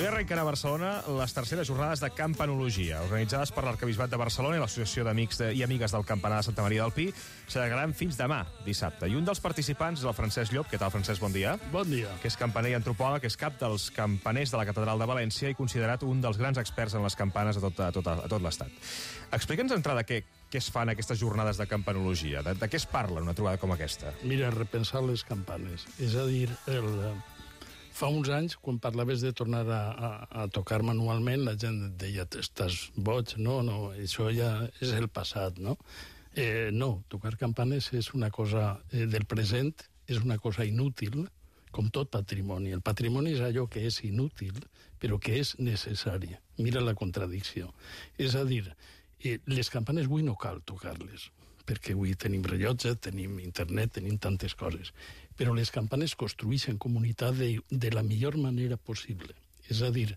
Avui arrenquen a Barcelona les terceres jornades de campanologia, organitzades per l'Arquebisbat de Barcelona i l'Associació d'Amics i Amigues del Campanar de Santa Maria del Pi. S'allargaran fins demà, dissabte. I un dels participants és el Francesc Llop. Què tal, Francesc? Bon dia. Bon dia. Que és campaner i antropòleg, és cap dels campaners de la Catedral de València i considerat un dels grans experts en les campanes a tot l'Estat. Explica'ns d'entrada què es fan aquestes jornades de campanologia. De què es parla en una trobada com aquesta? Mira, repensar les campanes. És a dir, fa uns anys, quan parlaves de tornar a tocar manualment, la gent et deia, estàs boig, no, això ja és el passat, no? No, tocar campanes és una cosa del present, és una cosa inútil, com tot patrimoni. El patrimoni és allò que és inútil, però que és necessari. Mira la contradicció. És a dir, les campanes avui no cal tocar-les, perquè avui tenim rellotge, tenim internet, tenim tantes coses. Però les campanes construeixen comunitat de la millor manera possible. És a dir,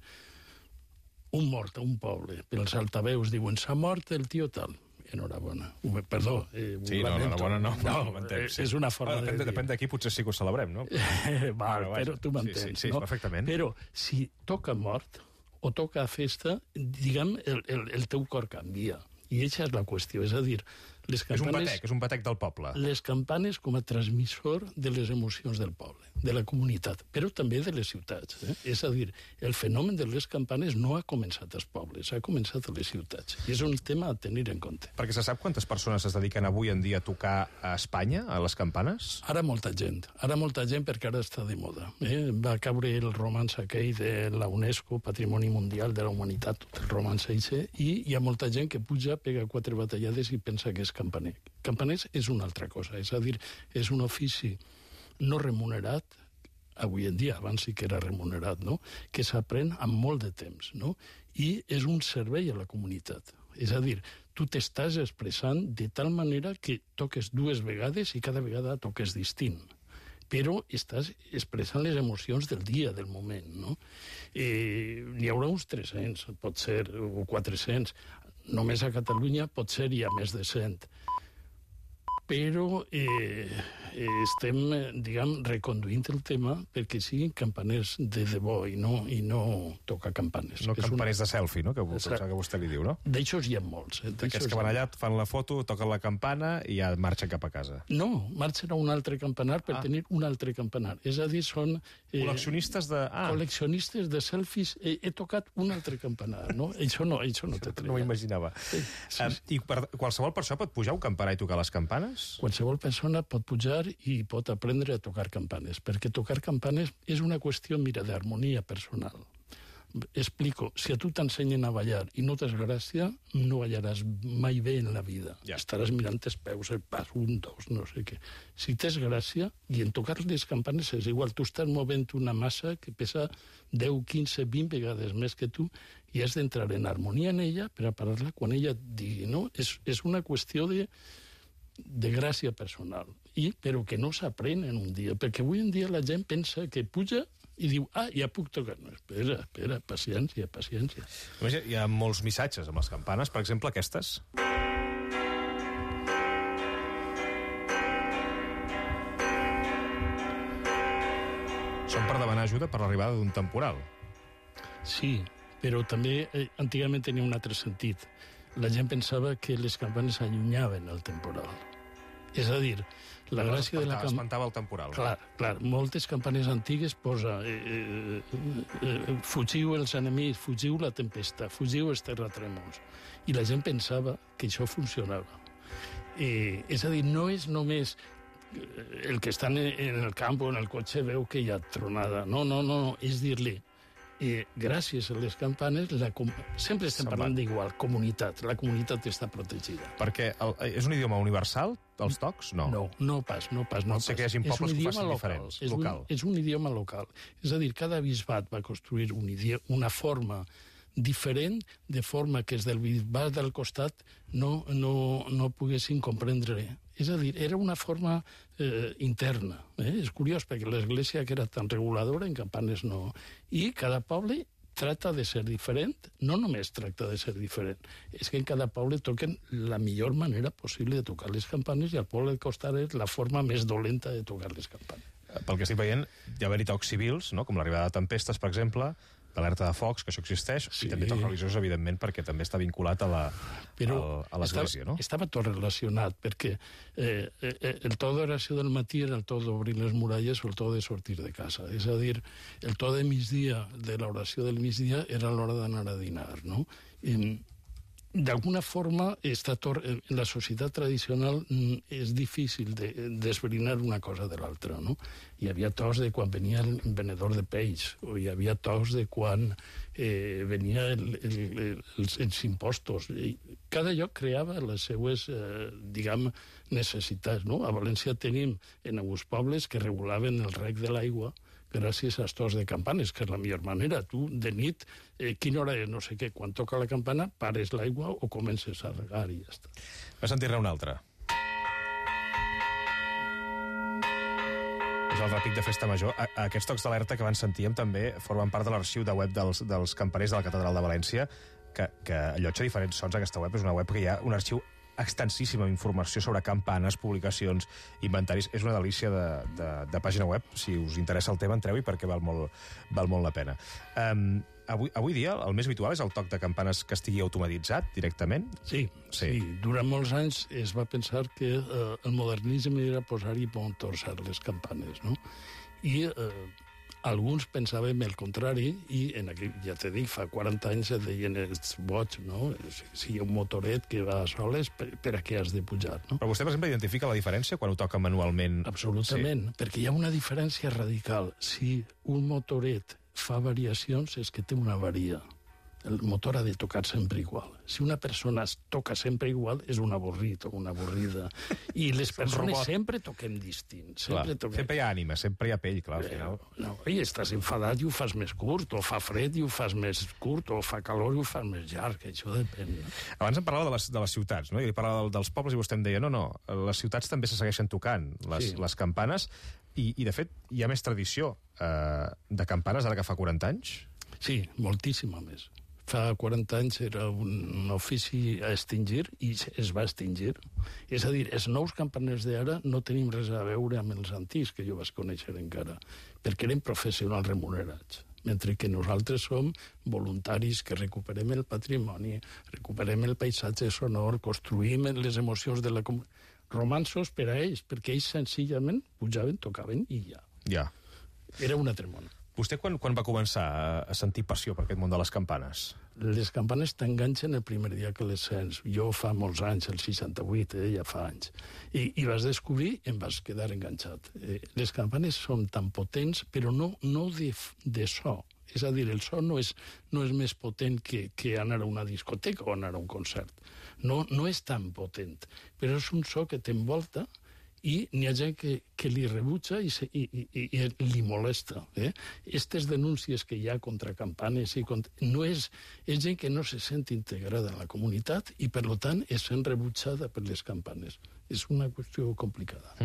un mort a un poble, pels altaveus diuen, s'ha mort el tio tal. Enhorabona. Perdó. Sí, no, enhorabona no. És una forma de dir. Depèn d'aquí, potser sí que ho celebrem, no? Però tu m'entens, sí, no? Perfectament. Però si toca mort o toca festa, diguem, el teu cor canvia. I aquesta és la qüestió, és a dir, les campanes... És un batec del poble. Les campanes com a transmissor de les emocions del poble, de la comunitat, però també de les ciutats. És a dir, el fenomen de les campanes no ha començat als pobles, ha començat a les ciutats. I és un tema a tenir en compte. Perquè se sap quantes persones es dediquen avui en dia a tocar a Espanya, a les campanes? Ara molta gent perquè ara està de moda. Va caure el romanç aquell de la UNESCO, Patrimoni Mundial de la Humanitat, el romanç eixe, i hi ha molta gent que puja, pega 4 batallades i pensa que és campaner. Campaners és una altra cosa, és a dir, és un ofici no remunerat, avui en dia, abans sí que era remunerat, no? Que s'aprèn amb molt de temps, no? I és un servei a la comunitat. És a dir, tu t'estàs expressant de tal manera que toques 2 vegades i cada vegada toques distint. Però estàs expressant les emocions del dia, del moment, no? N'hi haurà uns 300, pot ser, o 400. Només a Catalunya potser hi ha més de 100. Però estem, diguem, reconduint el tema perquè siguin campaners de debò i no tocar campanes. No campaners de selfie, no? Que vostè li diu, no? D'aixòs hi ha molts. Aquests que van allà, fan la foto, toquen la campana i ja marxen cap a casa. No, marxen a un altre campanar per tenir un altre campanar. És a dir, són... Col·leccionistes de... Col·leccionistes de selfies. He tocat un altre campanar, no? Això no té tret. No ho imaginava. I qualsevol persona pot pujar a un campanar i tocar les campanes? Qualsevol persona pot pujar i pot aprendre a tocar campanes, perquè tocar campanes és una qüestió, mira, d'harmonia personal. Explico, si a tu t'ensenyen a ballar i no tens gràcia, no ballaràs mai bé en la vida. Ja. Estaràs mirant els peus, el pas, 1, 2, no sé què. Si tens gràcia, i en tocar les campanes és igual, tu estàs movent una massa que pesa 10, 15, 20 vegades més que tu i has d'entrar en harmonia en ella per a parar-la quan ella et digui, no? És una qüestió de gràcia personal, però que no s'aprèn en un dia, perquè avui en dia la gent pensa que puja i diu, ja puc tocar. No, espera, paciència. Hi ha molts missatges amb les campanes, per exemple, aquestes. Són per demanar ajuda per l'arribada d'un temporal. Sí, però també antigament tenia un altre sentit. La gent pensava que les campanes allunyaven el temporal. És a dir, la gràcia de la campana... Espantava el temporal. Clar, moltes campanes antigues posa fugiu els enemics, fugiu la tempesta, fugiu els terratrèmols. I la gent pensava que això funcionava. És a dir, no és només el que està en el camp o en el cotxe veu que hi ha tronada. No, és dir-li gràcies a les campanes, sempre estem parlant d'igual, comunitat. La comunitat està protegida. Perquè és un idioma universal, els tocs? No. No pas. Pot ser que hi hagi pobles que ho facin diferents. És un idioma local. És a dir, cada bisbat va construir una forma diferent, de forma que els del bisbat del costat no poguessin comprendre. És a dir, era una forma interna. És curiós, perquè l'església, que era tan reguladora, en campanes no. I cada poble tracta de ser diferent, no només tracta de ser diferent, és que en cada poble toquen la millor manera possible de tocar les campanes i al poble del costat és la forma més dolenta de tocar les campanes. Pel que estic veient, hi ha haver-hi tocs civils, no? Com l'arribada de tempestes, per exemple, d'alerta de focs, que això existeix, i també tocs religiosos, evidentment, perquè també està vinculat a l'església, no? Estava tot relacionat, perquè el to d'oració del matí era el to d'obrir les muralles o el to de sortir de casa. És a dir, el to de migdia, de l'oració del migdia, era l'hora d'anar a dinar, no? D'alguna forma, en la societat tradicional és difícil d'esbrinar una cosa de l'altra, no? Hi havia tos de quan venia el venedor de peix, o hi havia tos de quan venia els impostos. Cada lloc creava les seues, diguem, necessitats, no? A València tenim en alguns pobles que regulaven el reg de l'aigua gràcies als tos de campanes, que és la millor manera. Tu, de nit, quina hora és, no sé què, quan toca la campana, pares l'aigua o comences a regar i ja està. Va sentir-ne una altra. És el repic de Festa Major. Aquests tocs d'alerta que van sentíem també formen part de l'arxiu de web dels campaners de la Catedral de València, que allotja diferents sons. Aquesta web és una web que hi ha un arxiu extensíssima informació sobre campanes, publicacions, inventaris. És una delícia de pàgina web. Si us interessa el tema, entreu-hi perquè val molt la pena. Avui dia el més habitual és el toc de campanes que estigui automatitzat directament? Sí. Durant molts anys es va pensar que el modernisme era posar-hi motors a les campanes, no? I alguns pensàvem el contrari, i ja t'he dit, fa 40 anys et deien els boig, no? Si hi ha un motoret que va a soles, per a què has de pujar, no? Però vostè, per exemple, identifica la diferència quan ho toca manualment? Absolutament, perquè hi ha una diferència radical. Si un motoret fa variacions, és que té una avaria. El motor ha de tocar sempre igual. Si una persona toca sempre igual, és un avorrit o una avorrida. I les persones sempre toquem distint. Sempre hi ha ànima, sempre hi ha pell, clar, al final. No, i estàs enfadat i ho fas més curt, o fa fred i ho fas més curt, o fa calor i ho fas més llarg, això depèn. Abans em parlava de les ciutats, no? I parlava dels pobles i vostè em deia, no, les ciutats també se segueixen tocant, les campanes, i de fet hi ha més tradició de campanes ara que fa 40 anys? Sí, moltíssima més. Fa 40 anys era un ofici a extingir i es va extingir. És a dir, els nous campaners d'ara no tenim res a veure amb els antics, que jo vaig conèixer encara, perquè eren professionals remunerats, mentre que nosaltres som voluntaris que recuperem el patrimoni, recuperem el paisatge sonor, construïm les emocions de la comunitat. Romanços per a ells, perquè ells senzillament pujaven, tocaven i ja. Ja. Era un altre món. Vostè quan va començar a sentir passió per aquest món de les campanes? Les campanes t'enganxen el primer dia que les sents. Jo fa molts anys, el 68, ja fa anys. I vas descobrir i em vas quedar enganxat. Les campanes són tan potents, però no de so. És a dir, el so no és més potent que anar a una discoteca o anar a un concert. No és tan potent, però és un so que t'envolta i n'hi ha gent que li rebutja i li molesta. Aquestes denúncies que hi ha contra campanes és gent que no se sent integrada en la comunitat i, per tant, és sent rebutjada per les campanes. És una qüestió complicada.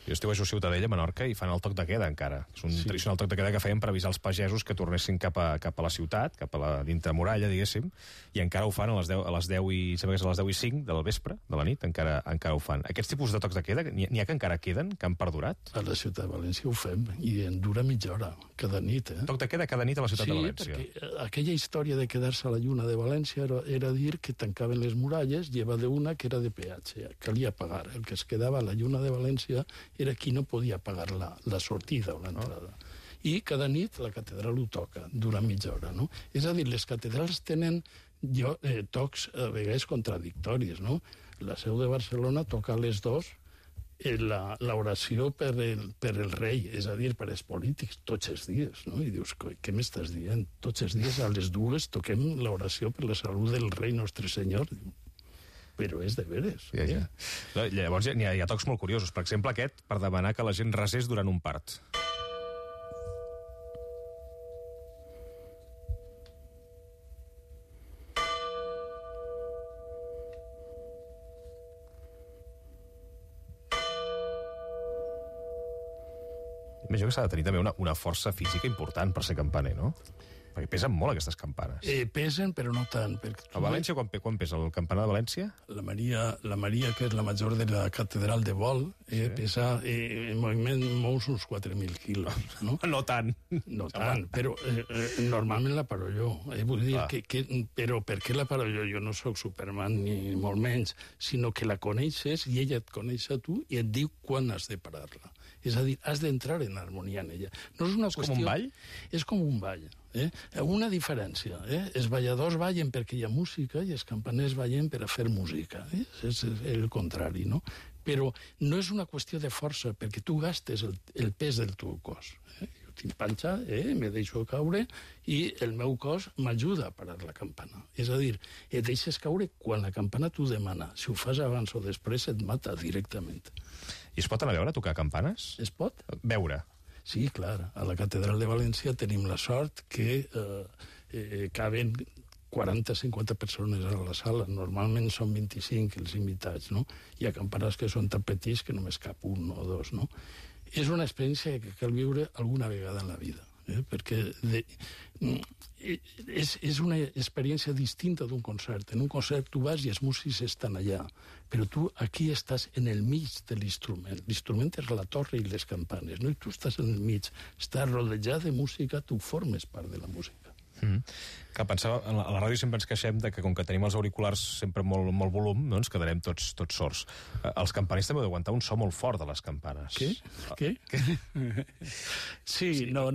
Jo estiu a Ciutadella, a Menorca, i fan el toc de queda, encara. És un tradicional toc de queda que feien per avisar els pagesos que tornessin cap a la ciutat, cap a la dintre-muralla, diguéssim, i encara ho fan a les 10 i 5 del vespre, de la nit, encara ho fan. Aquests tipus de tocs de queda, n'hi ha que encara queden, que han perdurat? A la ciutat de València ho fem, i en dura mitja hora, cada nit. Toc de queda cada nit a la ciutat de València. Sí, perquè aquella història de quedar-se a la lluna de València era dir que tancaven les muralles, lleva d'una que era de peatge, calia pagar. El que es quedava a la lluna de València era qui no podia pagar la sortida o l'entrada. I cada nit la catedral ho toca, durant mitja hora, no? És a dir, les catedrals tenen tocs a vegades contradictoris, no? La Seu de Barcelona toca a les 2 l'oració per el rei, és a dir, per als polítics, tots els dies, no? I dius, què m'estàs dient? Tots els dies a les 2 toquem l'oració per la salut del rei nostre senyor. Però és de veres. Ja. Llavors hi ha tocs molt curiosos. Per exemple, aquest, per demanar que la gent resés durant un part. Imagino que s'ha de tenir també una força física important per ser campaner, no? Perquè pesen molt, aquestes campanes. Pesen, però no tant. A València, quan pesa el campanar de València? La Maria, que és la major de la catedral de Vol, pesa, en moviment, mous uns 4.000 quilos. No, no tant. No tant, però normalment la paro jo. Vull dir, però per què la paro jo? Jo no sóc Superman, ni molt menys, sinó que la coneixes i ella et coneix a tu i et diu quan has de parar-la. És a dir, has d'entrar en harmonia en ella. No és una qüestió... com un ball? És com un ball. Una diferència. Els balladors ballen perquè hi ha música i els campaners ballen per a fer música. És el contrari, no? Però no és una qüestió de força, perquè tu gastes el pes del teu cos. Jo tinc panxa, me deixo caure i el meu cos m'ajuda a parar la campana. És a dir, et deixes caure quan la campana t'ho demana. Si ho fas abans o després et mata directament. I es pot anar a veure tocar campanes? Es pot? Veure. Sí, clar. A la Catedral de València tenim la sort que caben 40-50 persones a la sala. Normalment són 25 els invitats, no? Hi ha campanes que són tan petits que només cap un o dos, no? És una experiència que cal viure alguna vegada en la vida, perquè és una experiència distinta d'un concert. En un concert tu vas i els músics estan allà, però tu aquí estàs en el mig de l'instrument. L'instrument és la torre i les campanes, no? I tu estàs en el mig, estàs rodejat de música, tu formes part de la música. Que pensava, a la ràdio sempre ens queixem de que com que tenim els auriculars sempre molt volum, no ens quedarem tots sords. Els campaners també heu d'aguantar un so molt fort de les campanes. Què? Sí, no,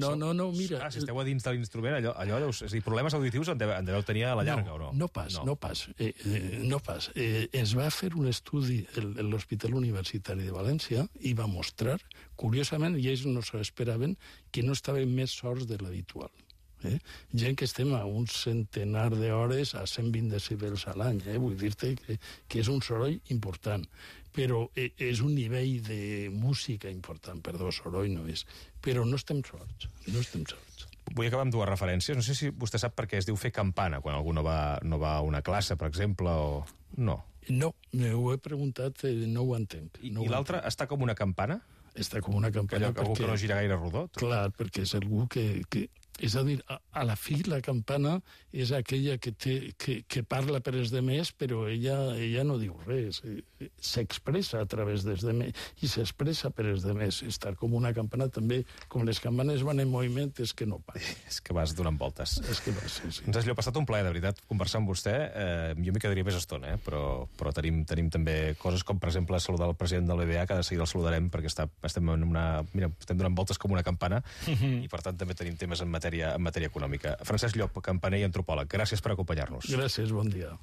mira... Si esteu a dins de l'instrument, allò és a dir, problemes auditius en deveu tenir a la llarga, o no? No pas. Es va fer un estudi a l'Hospital Universitari de València i va mostrar, curiosament, i ells no s'ho esperaven, que no estaven més sords de l'habitual. Gent que estem a un centenar d'hores a 120 decibels a l'any. Vull dir-te que és un soroll important, però és un nivell de música important. Perdó, soroll no és. Però no estem sords. Vull acabar amb dues referències. No sé si vostè sap per què es diu fer campana, quan algú no va a una classe, per exemple, o... No. No, ho he preguntat, no ho entenc. I l'altra, està com una campana? Està com una campana perquè... Algú que no gira gaire rodó? Clar, perquè és algú que... És a dir, a la fi la campana és aquella que parla per els demés, però ella no diu res. S'expressa a través dels demés i s'expressa per els demés. Estar com una campana també, com les campanes van en moviment, és que no para. És que vas donant voltes. És que vas, sí. Ens ha passat un plaer, de veritat, conversar amb vostè. Jo m'hi quedaria més estona, però tenim també coses com, per exemple, saludar el president de l'EBA, que de seguida el saludarem, perquè estem donant voltes com una campana, i per tant també tenim temes en matèria econòmica. Francesc Llop, campaner i antropòleg, gràcies per acompanyar-nos. Gràcies, bon dia.